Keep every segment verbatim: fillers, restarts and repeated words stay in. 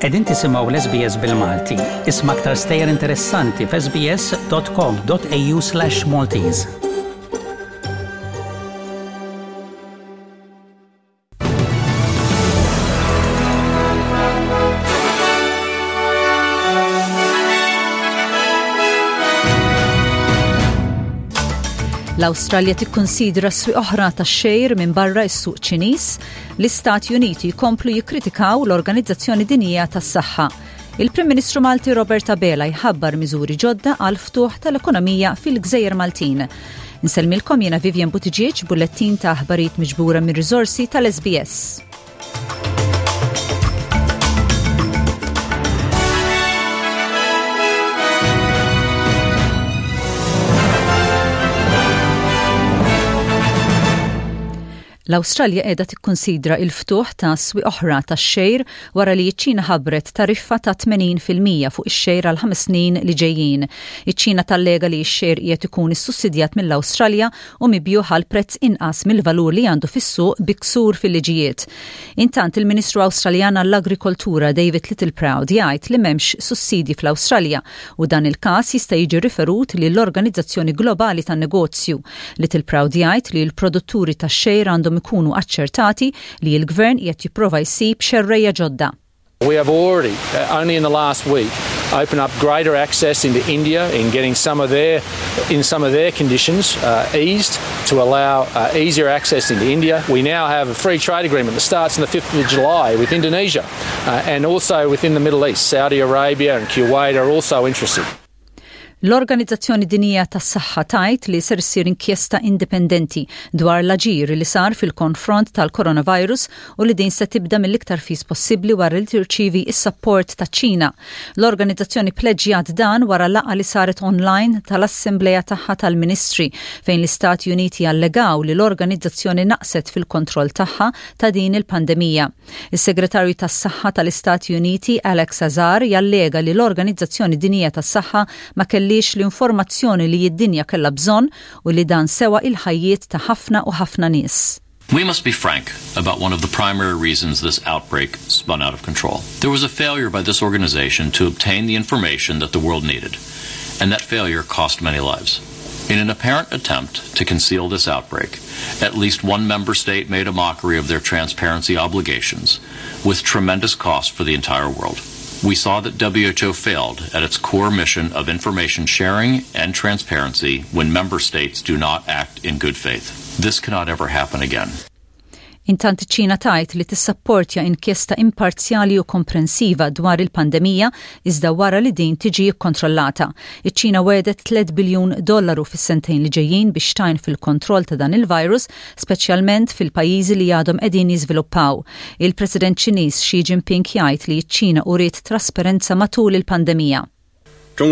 Qegħdin tisimgħu l-S B S bil-Malti. Isma' aktar stejjer interessanti f'S B S dot com dot A U slash Maltese. L-Awstralja tikkonsidra swieq oħra tax-xgħir minn barra s-suq Ċiniż, l-Istati Uniti jkomplu jikkritikaw l-Organizzazzjoni Dinjija tas-Saħħa. Il-Prim Ministru Malti Robert Abela jħabbar miżuri ġodda għal ftuħ tal-ekonomija fil-Gżejjer Maltin. Insellmilkom jiena Vivian Buttigieg, bullettin ta' aħbarijiet miġbura minn riżorsi tal-S B S. L-Awstralja qiegħda tikkonsidra il-ftuħ ta' swieq oħra tax-xgħir wara li ċ-Ċina ħabbret tariffa ta' tmenin fil-mija fuq ix-xgħir għal ħames snin li ġejjin. Iċ-Ċina tallega li x-xgħir qiegħed ikun issussidjat mill-Awstralja u mibjugħ għal prezz inqas mill-valur li għandu fis-suq bi ksur fil-liġijiet. Intant, il-Ministru Awstraljan għall-Agrikoltura David Littleproud jgħid li m'hemmx sussidji fl-Awstralja u dan il-każ jista' jiġi riferut lill-Organizzazzjoni Globali tan-Negozju. Littleproud jgħid li l-produtturi tax-xgħir għandhom ikunu aċċertati li l-gvern qed jipprova jsib xerreja ġodda. We have already, uh, only in the last week, opened up greater access into India in getting some of their, in some of their conditions uh, eased to allow uh, easier access into India. We now have a free trade agreement that starts on the fifth of July with Indonesia uh, and also within the Middle East. Saudi Arabia and Kuwait are also interested. L-Organizzazzjoni Dinjija tas-Saħħa tgħid li ser issir inkjesta indipendenti dwar l-aġir li sar fil-konfront tal-coronavirus u li din se tibda mill-iktar fis possibbli wara li tirċivi is-sapport ta' Ċina. L-organizzazzjoni pleġġjat dan wara laqgħa li saret online tal-Assembleja tagħha tal-Ministri, fejn l-Istati Uniti allegaw li l-organizzazzjoni naqset fil-kontroll tagħha ta' din il-pandemija. Is-Segretarju tas-Saħħa tal-Istati Uniti Alex Azar jallega li l-Organizzazzjoni Dinjija tas-Saħħa ma kellix l-informazzjoni li id-dinja kellha bżonn u li dan sewa il-ħajjiet ta' ħafna u ħafna nies. We must be frank about one of the primary reasons this outbreak spun out of control. There was a failure by this organization to obtain the information that the world needed, and that failure cost many lives. In an apparent attempt to conceal this outbreak, at least one member state made a mockery of their transparency obligations, with tremendous cost for the entire world. We saw that W H O failed at its core mission of information sharing and transparency when member states do not act in good faith. This cannot ever happen again. Intant, ċina tgħid li tissapportja inkjesta imparzjali u komprensiva dwar il-pandemija, iżda wara li din tiġi kkontrollata. Iċ-Ċina wegħdet tliet biljun dollaru fis-sentejn li ġejjin biex tgħin fil-kontroll ta' dan il-virus, speċjalment fil-pajjiżi li għadhom qegħdin jiżviluppaw. Il-President Ċiniż Xi Jinping jgħid li ċ-Ċina uriet trasparenza matul il-pandemija. All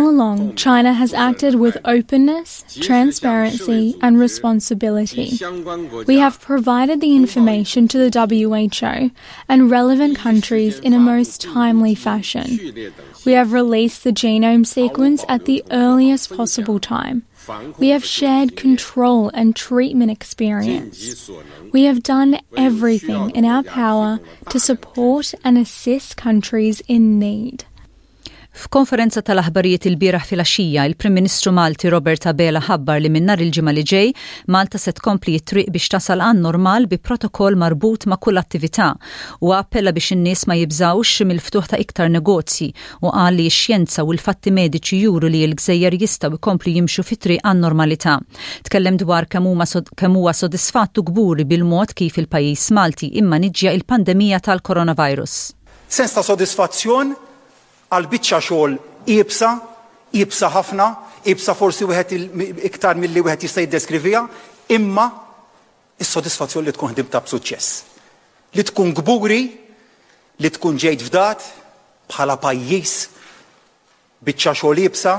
along, China has acted with openness, transparency, and responsibility. We have provided the information to the W H O and relevant countries in a most timely fashion. We have released the genome sequence at the earliest possible time. We have shared control and treatment experience. We have done everything in our power to support and assist countries in need. F'konferenza tal-aħbarijiet il-bieraħ filgħaxija, il-Prim Ministru Malti Robert Abela ħabbar li minn nhar il-Ġimgħa li ġej Malta se tkompli t-triq biex tasal għan normal bi protokoll marbut ma' kull attività, u appella biex in-nies ma jibżawx mill-ftuħ ta' iktar negozji u qal li x-xjenza u l-fatti mediċi juru li l-gżejjer jistgħu jkomplu jimxu fit-triq għan normalità. Tkellem dwar kemm huwa sodisfatt u kburi bil-mod kif il-pajjiż Malti immaniġġja il-pandemija tal-coronavirus. Sens ta' sodisfazzjon għal biċċa xogħol iebsa, iebsa ħafna, iebsa forsi wieħed iktar milli wieħed jista' jiddeskriviha, imma is-sodisfazzjon li tkun ħdimta b'suċċess. Li tkun kburi, li tkun ġejt fdat bħala pajjiż biċċa xogħol iebsa,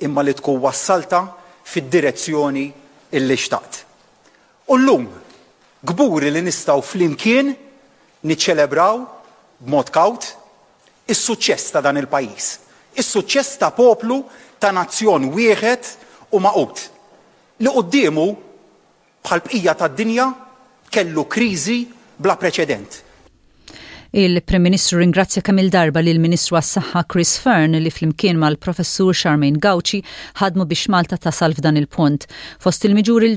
imma li tkun wassalta fid-direzzjoni illi xtaqt. U llum kburi li nistgħu flimkien niċċelebraw b'mod kawt is-suċċess ta' dan il-pajjiż. Is-suċċess ta' poplu, ta' nazzjon wieħed u magħqud, li quddiemu, bħal bqija tad-dinja, kellu kriżi bla preċedent. Il-Prim Ministru ringrazzja kemm il-darba lil Ministru għas-Saħħa Chris Fearne li flimkien mal-Professur Charmaine Gauci ħadmu biex Malta tasal f'dan il-punt. Fost il-miżuri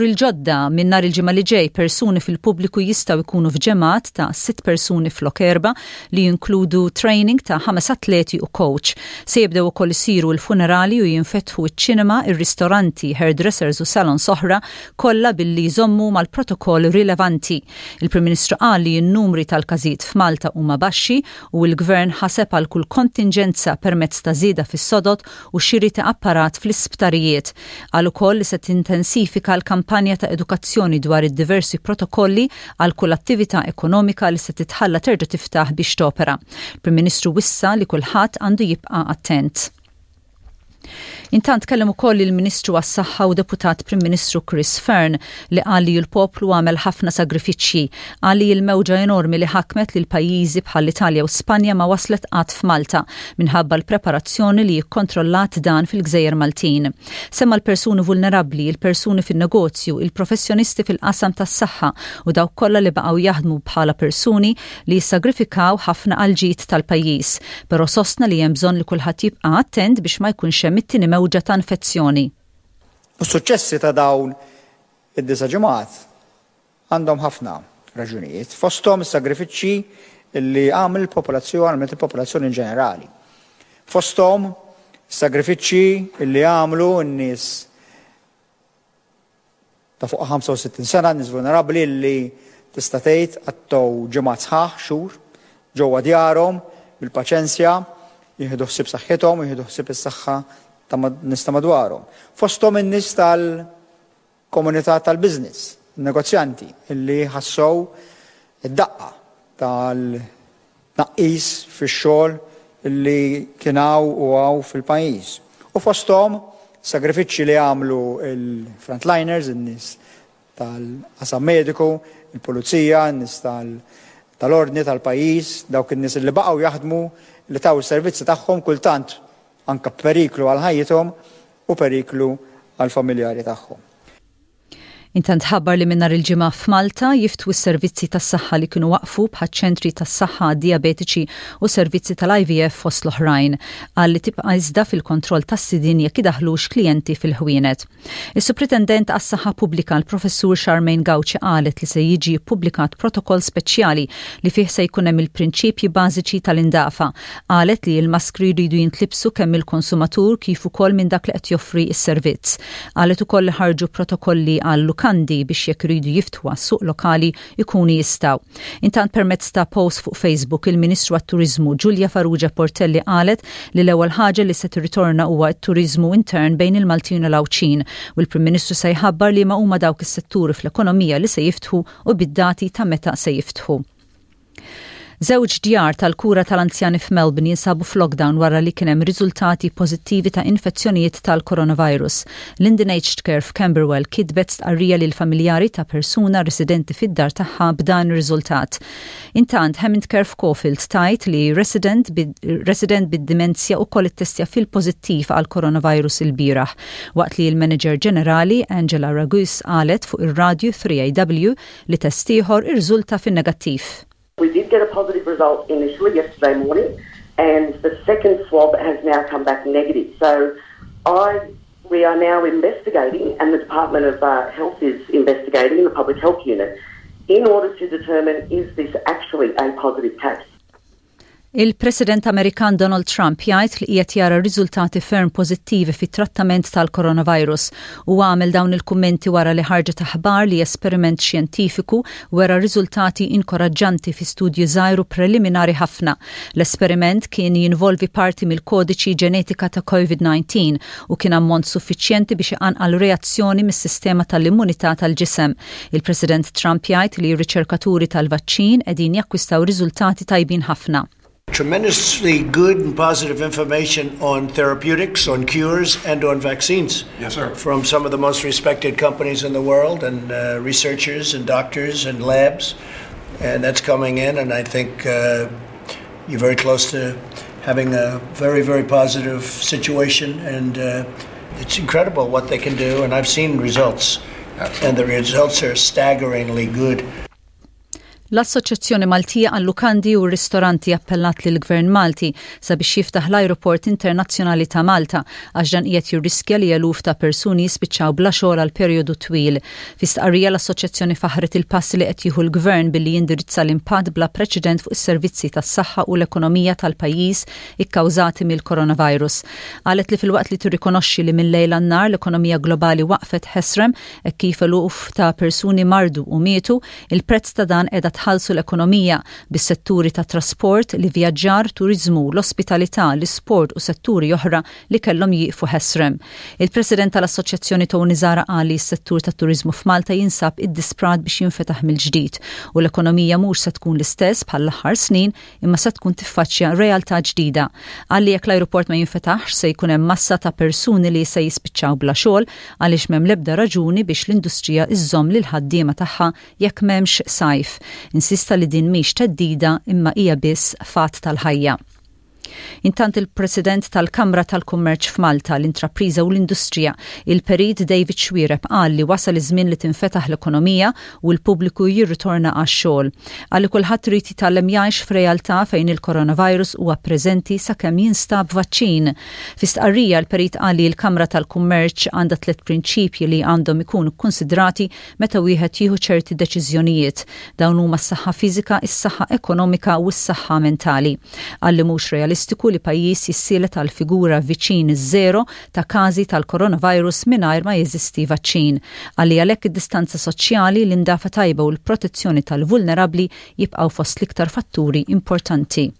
il-ġodda minn nhar il-ġimgħa li ġej, persuni fil-pubbliku jistgħu jkunu f'ġemgħat ta' sitt persuni flok erba, li jinkludu training ta' ħames atleti u coach. Se jibdew ukoll isiru l-funerali u jinfetħu iċ-ċinema, ir-ristoranti, hairdressers u salons oħra, kollha billi jżommu mal-protokoll rilevanti. Il-Prim Ministru qal li n-numri tal-każijiet f'Malta huma baxxi u l-gvern ħaseb għal kull kontinġenza permezz ta' żieda fis-sodod u xiri ta' apparat fl-isptarijiet. Qal ukoll li se tintensifika l-kampanja ta' edukazzjoni dwar id-diversi protokolli għal kull attività ekonomika li se titħalla terġa' tiftaħ biex topera. Il-Prim Ministru wissa li kulħadd għandu jibqa' attent. Intant kellem ukoll il-Ministru għas-Saħħa u Deputat Prim Ministru Chris Fearne li qal li l-poplu għamel ħafna sagrifiċċji. Qal li l-mewġa enormi li ħakmet lil pajjiżi bħal Italja u Spanja ma waslet qatt f'Malta minħabba l-preparazzjoni li jikkontrollat dan fil-Gżejjer Maltin. Semma l-persuni vulnerabbli, il-persuni fin-negozju, il-professjonisti fil-qasam tas-saħħa u dawk kollha li baqgħu jaħdmu bħala persuni li jissagrifikaw ħafna għal-ġid tal-pajjiż. Però sostna li hemm bżonn li kulħadd jibqa' attent biex ma jkunx hemm it-tieni mewġa ta' infezzjoni. U s-suċċessi ta' dawn id-disa' ġimgħat għandhom ħafna raġunijiet, fosthom is-sagrifiċċji li għamel il-popolazzjoni, għamlet il-popolazzjoni in ġenerali. Fosthom sagrifiċċji li għamlu n-nies ta' fuq ħamsa u sittin sena, nies vulnerabbli li tista' tgħid qattgħu ġimgħat sħaħ, xhur, ġewwa djarhom bil-paċenzja, jieħdu ħsieb saħħithom, jieħdu ħsieb is-saħħa ta' nies ta' madwarhom. Fosthom in-nies tal-komunità tal-business, negozjanti illi ħassew id-daqqa tal-tnaqqis fix-xogħol illi kien hawn u hawn fil-pajjiż. U fosthom sagrifiċċji li għamlu il-frontliners, in-nies tal-qasam mediku, il-pulizija, in-nies tal-ordni tal-pajjiż, dawk in-nies li baqgħu jaħdmu, li taw is-servizzi tagħhom kultant anka periklu għal ħajjithom u periklu għal familjari tagħhom. Intant ħabbar li minn nhar il-Ġimgħa f'Malta jiftħu s-servizzi tas-saħħa li kienu waqfu, bħal ċentri tas-saħħa diabetiċi u servizzi tal-I V F fost l-oħrajn. Qal li tibqa' iżda fil-kontroll tas-sidin jekk idaħlux klijenti fil-ħwienet. Is-Supritendent għas-Saħħa Pubblika, l-Professur Charmaine Gauci, qalet li se jiġi ppubblikat protokoll speċjali li fih se jkun hemm il-prinċipji bażiċi tal-indafa. Qalet li l-maskri jridu jintlibsu kemm il-konsumatur kif ukoll minn dak li qed joffri s-servizz. Qalet ukoll li ħarġu protokolli għal lukandi biex jekk iridu jiftħu għas-suq lokali ikunu jistgħu. Intant, permezz ta' post fuq Facebook, il-Ministru għat-Turizmu Julia Farrugia Portelli qalet li l-ewwel ħaġa li se tirritorna huwa t-turizmu intern bejn il-Maltin u l-Għawdxin u l-Prim Ministru se jħabbar li ma huma dawk is-setturi fl-ekonomija li se jiftħu u bid-dati ta' meta se jiftħu. Żewġ djar tal-kura tal-anzjani f'Melbourne jinsabu f'lockdown wara li kien hemm riżultati pożittivi ta' infezzjonijiet tal-coronavirus. Linden Aged Care f'Camberwell kitbet stqarrija lil familjari ta' persuna residenti fid-dar tagħha b'dan ir-riżultat. Intant, Hammond Care f'Caulfield tgħid li resident resident bid-dimenzja ukoll ittestja fil-pożittiv għal coronavirus il-bieraħ, waqt li l-manager ġenerali Angela Ragus qalet fuq ir-radju three A W li test ieħor irriżulta fin-negattiv. We did get a positive result initially yesterday morning, and the second swab has now come back negative. So I, we are now investigating, and the Department of uh, Health is investigating, the Public Health Unit, in order to determine, is this actually a positive case. Il-President Amerikan Donald Trump jgħid li qiegħed jara riżultati ferm pożittivi fit-trattament tal-coronavirus u għamel dawn il-kummenti wara li ħarġet aħbar li esperiment xjentifiku wera riżultati inkoraġġanti fi studju żgħir u preliminari ħafna. L-esperiment kien jinvolvi parti mill-kodiċi ġenetika ta' COVID disa u kien ammont suffiċjenti biex iqanqal reazzjoni mis-sistema tal-immunità tal-ġisem. Il-President Trump jgħid li r-riċerkaturi tal-vaċċin qegħdin jakkwistaw riżultati tajbin ħafna. Tremendously good and positive information on therapeutics, on cures, and on vaccines. Yes, sir. From some of the most respected companies in the world, and uh, researchers and doctors and labs. And that's coming in, and I think uh, you're very close to having a very, very positive situation. And uh, it's incredible what they can do, and I've seen results. Absolutely. And the results are staggeringly good. L-Assoċjazzjoni Maltija għal-Lukandi u Ristoranti appellat lil gvern Malti sabiex jiftaħ l-Ajruport Internazzjonali ta' Malta, għax dan qiegħed jirriskja li eluf ta' persuni jispiċċaw bla xogħol għal perjodu twil. Fi stqarrija, l-assoċjazzjoni faħret il-passi li qed jieħu l-gvern billi jindirizza l-impatt bla preċedent fuq is-servizzi tas-saħħa u l-ekonomija tal-pajjiż ikkawżati mill-coronavirus. Qalet li filwaqt li tirrikonoxxi li mill-lejl għan-nhar l-ekonomija globali waqfet ħesrem e kif eluf ta' persuni mardu u mietu, il-prezz ta' dan qiegħda tħallsu l-ekonomija bis-setturi ta' trasport, l-ivvjaġġar, turiżmu, l-ospitalità, l-isport u setturi oħra li kellhom jieqfu ħesrem. Il-President tal-Assoċjazzjoni Tony Zahra qal li s-settur tat-turiżmu f'Malta jinsab iddisprat biex jinfetaħ mill-ġdid u l-ekonomija mhux se tkun l-istess bħall-aħħar snin, imma se tkun tiffaċċja realtà ġdida. Qal li jekk l-ajruport ma jinfetaħx, se jkun hemm massa ta' persuni li se jispiċċaw bla xogħol, għaliex m'hemm l-ebda raġuni biex l-industrija iżżomm lil ħaddiema tagħha jekk m'hemmx sajf. Insista li din mhix theddida, imma hija biss fatt tal-ħajja. Intant, il-President tal-Kamra tal-Kummerċ f'Malta, l-Intrapriża u l-Industrija, il-Perit David Xuereb, qal li wasal iż-żmien li tinfetaħ l-ekonomija u l-pubbliku jirritorna għax-xogħol. Qal li kulħadd irid jitgħallem jgħix f'realtà fejn il-coronavirus huwa preżenti sakemm jinstab vaċċin. Fi stqarrija, l-Perit qal li l-Kamra tal-Kummerċ għandha tliet prinċipji li għandhom ikunu konsidrati meta wieħed jieħu ċerti deċiżjonijiet. Dawn huma s-saħħa fiżika, is-saħħa ekonomika u s-saħħa mentali. Qal li mhux realistiku li pajjiż jissielet għal figura viċin iż-żero ta' każi tal-coronavirus mingħajr ma jeżisti vaċċin. Qal li għalhekk id-distanza soċjali, l-indafa tajba u l-protezzjoni tal-vulnerabbli jibqgħu fost l-iktar fatturi importanti.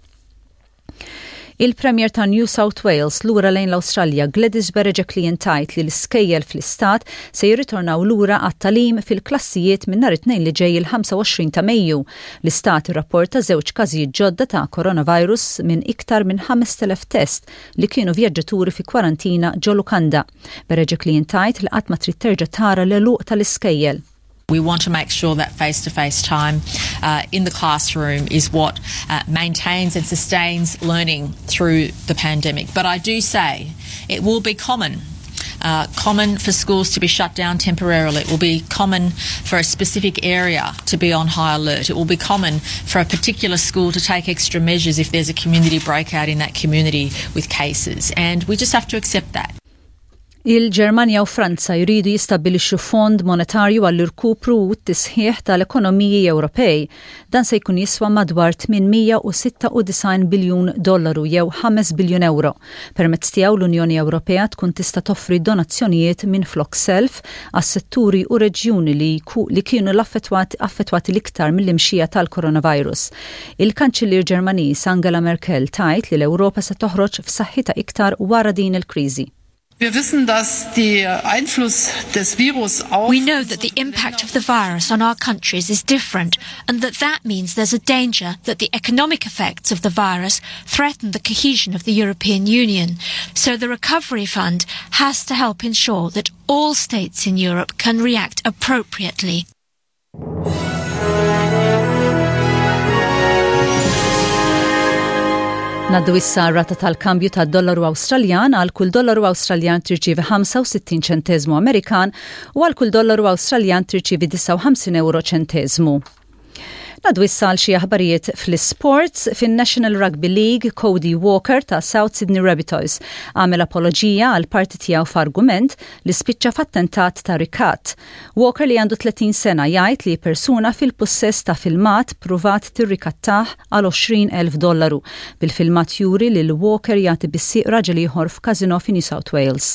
Il-Premier ta' New South Wales lura lejn l-Awstralja, Gladys Berejiklian, tgħid li l-iskejjel fl-istat se jirritornaw lura għat-tagħlim fil-klassijiet minn nhar it-Tnejn li ġej, il-ħamsa u għoxrin ta' Mejju. L-istat irrapporta żewġ każijiet ġodda ta' coronavirus minn iktar minn ħamest elef test li kienu vjaġġaturi fi kwarantina ġo lukanda. Berejiklian tgħid li qatt ma trid terġa' tara l-għeluq tal-iskejjel. We want to make sure that face to face time uh, in the classroom is what uh, maintains and sustains learning through the pandemic. But I do say it will be common. Uh, common for schools to be shut down temporarily. It will be common for a specific area to be on high alert. It will be common for a particular school to take extra measures if there's a community breakout in that community with cases. And we just have to accept that. Il-Ġermanja u Franza jridu jistabbilixxu fond monetarju għall-irkupru u t-tisħiħ tal-ekonomiji Ewropej. Dan se jkun jiswa madwar tmien mija u sitta u disgħin biljun dollaru jew ħames biljun euro. Permezz tiegħu, l-Unjoni Ewropea tkun tista' toffri donazzjonijiet minn flok self għas-setturi u reġjuni li, li kienu l-affettwati affettwati l-iktar mill-imxija tal-coronavirus. Il-Kanċellier Ġermaniż Angela Merkel tgħid li l-Ewropa se toħroġ f'saħħitha iktar wara din il-kriżi. Wir wissen, dass der Einfluss des Virus auf We know that the impact of the virus on our countries is different and that that means there's a danger that the economic effects of the virus threaten the cohesion of the European Union. So the Recovery Fund has to help ensure that all states in Europe can react appropriately. Ngħaddu issa rata tal-kambju tad dollaru Awstraljan. Għal kull dollaru Awstraljan tirċievi ħamsa u sittin ċentezmu Amerikan u għal kull dollaru Awstraljan tirċievi disgħa u ħamsin euro ċentezmu. Ngħaddu issa għal xi aħbarijiet fl-sports. Fin-National Rugby League, Cody Walker ta' South Sydney Rabbitohs għamel apoloġija għal parti tiegħu f'argument li spiċċa f'attentat ta' rikat. Walker, li għandu tletin sena, jgħid li persuna fil-possess ta' filmat pruvat tirrikattah għal għoxrin elf dollaru, bil-filmat juri li l-Walker jagħti bis-sieq raġel ieħor f'kasino fi New South Wales.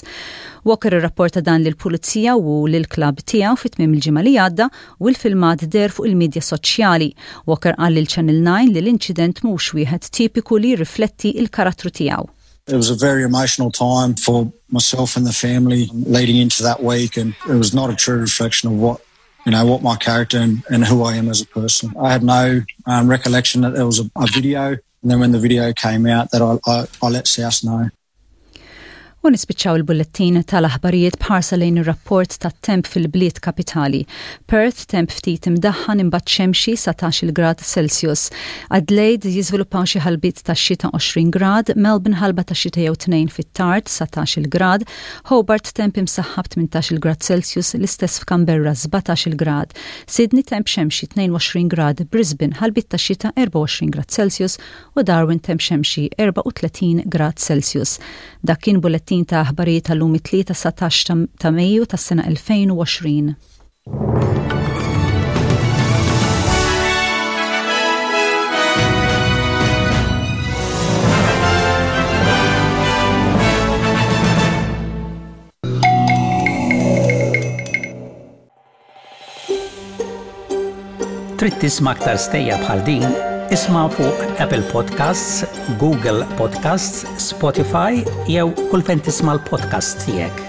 Walker irrapporta dan lill-pulizija u lill-klabb tiegħu fit-tmiem il-ġimgħa li għadda u l-filmat deher fuq il-medja soċjali. Walker qal lil Channel nine li l-inċident mhux wieħed tipiku li jirrifletti il-karattru tiegħu. It was a very emotional time for myself and the family leading into that week, and it was not a true reflection of what you know what my character and, and who I am as a person. I had no um, recollection that there was a, a video, and then when the video came out, that I, I, I let South know. U nispiċċaw il-bullettin tal-aħbarijiet b'ħarsa lejn ir-rapport tat-temp fil-bliet kapitali. Perth, temp ftit imdaħħan imbagħad xemxi, satax-il grad Celsius. Adelaide, jiżviluppaw xi ħalbiet ta' xita, għoxrin grad, Melbourne, ħalba ta' xita jew tnejn fit-tard, satax-il grad, Hobart, temp imsaħħab, tmintax-il grad Celsius, l-istess f'Canberra, sbatax-il grad, Sydney, temp xemxi, tnejn u għoxrin grad, Brisbane, ħalbiet ta' xita, erbgħa u għoxrin grad Celsius u Darwin, temp xemxi, erbgħa u tletin grad Celsius. Dak kien bullettin ta' aħbarijiet tal-lum, it-Tlieta satax ta' Mejju tas-sena elfejn u għoxrin. Trid tisma' aktar stejjer bħal din? Isma' fuq Apple Podcasts, Google Podcasts, Spotify jew kull fejn tisma' l-podcasts tiegħek.